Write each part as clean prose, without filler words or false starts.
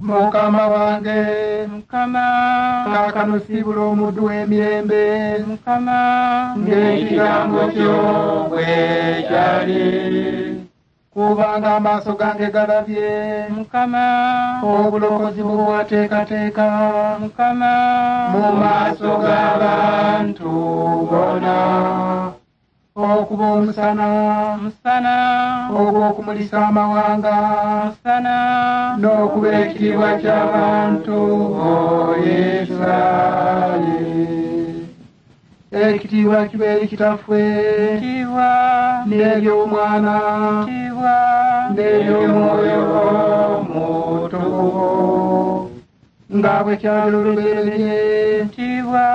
Mukama wange, Mukama, kaakano siibula omuddu w'emirembe, Mukama, ng'ekigambo kyo bwe kyali. Kubanga amaaso gange galabye, Mukama, obulokozi bwe bwateekateeka, Mukama, mu maaso g'abantu bonna, okuba omusana, Musana, ogw'okumulisa amawanga, Musana, n'okuba ekitiibwa ky'abantu bo Isirayiri. Ekitiibwa kibe eri Kitaffe, Kitiibwa, n'ery'Omwana, Kitiibwa, n'ery'Omwoyo Omutukuvu, nga bwe kyali olubereberye, Kitiibwa,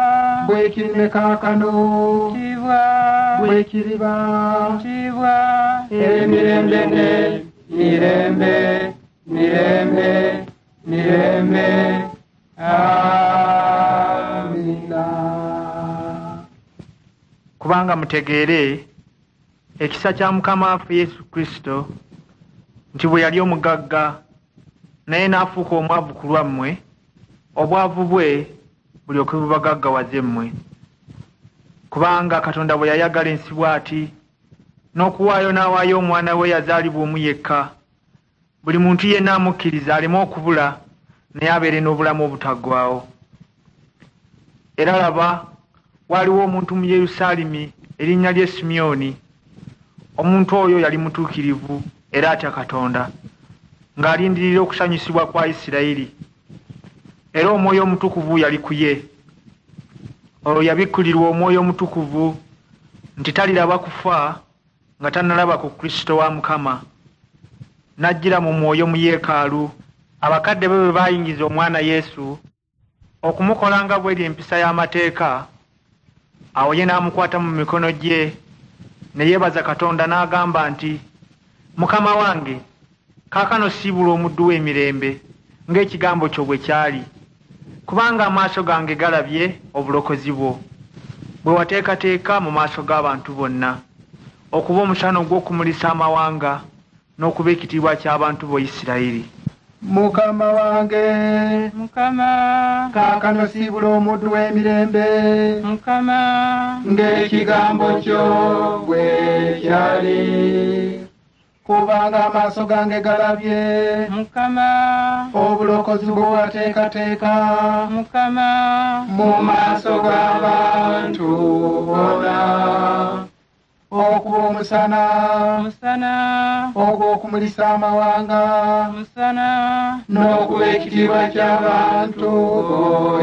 bwe kiri ne kaakano, Kitiibwa, bwe kiriba, Kitiibwa, emirembe ne mirembe, mirembe, mirembe. Amiina. Kubanga mutegeere ekisa kya Mukama waffe Yesu Kristo, nti bwe yali omugagga naye n'afuuka omwavu ku lwammwe, obwavu bwe bulyoke bubagaggawaze mmwe. Kubanga Katonda bwe yayagala ensi bw'ati, n'okuwaayo n'awaayo omwana we yazaalibwa omu yekka, buli muntu yenna amukkiriza aleme okubula, naye abeere n'obulamu obutaggwaawo. Era laba, waaliwo omuntu mu Yerusaalemi erinnya lye Simyoni. Omuntu oyo yali mutuukirivu era atya Katonda, ng'alindirira okusanyusibwa kwa Isirayiri. Era Omwoyo Omutukuvu yali ku ye. Olwo yabikkulirwa Omwoyo Omutukuvu nti taliraba kufa nga tannalaba ku Kristo wa Mukama. N'ajjira mu mwoyo mu yeekaalu, abakadde be bwe baayingiza omwana Yesu okumukola nga bw'eri empisa y'amateeka, awo ye n'amukwata mu mikono gye ne yeebaza Katonda n'agamba nti, Mukama wange, kaakano siibula omuddu w'emirembe ng'ekigambo kyo bwe kyali, kubanga amaaso gange galabye obulokozi bwo, bwe wateekateeka mu maaso g'abantu bonna, okuba omusana ogw'okumulisa amawanga n'okuba ekitiibwa ky'abantu bo Isirayiri. Mukama wange, Mukama, kaakano siibula omuddu w'emirembe, Mukama, ng'ekigambo kyo bwe kyali. Kubanga amaaso gange galabye, Mukama, obulokozi bwe wateekateeka, Mukama, mu maaso g'abantu bonna, okuba omusana, Musana, ogw'okumulisa amawanga, Musana, n'okuba ekitiibwa ky'abantu bo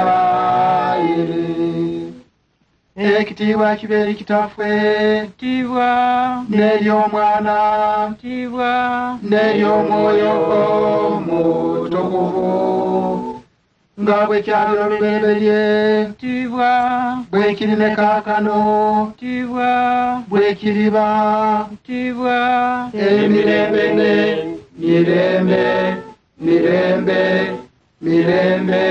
Isirayiri. Ekitiibwa kibe eri Kitaffe, Kitiibwa, n'ery'Omwana, Kitiibwa, n'ery'Omwoyo Omutukuvu, nga bwe kyali olubereberye, Kitiibwa, bwe kiri ne kaakano, Kitiibwa, bwe kiriba, Kitiibwa, emirembe ne mirembe, mirembe, mirembe.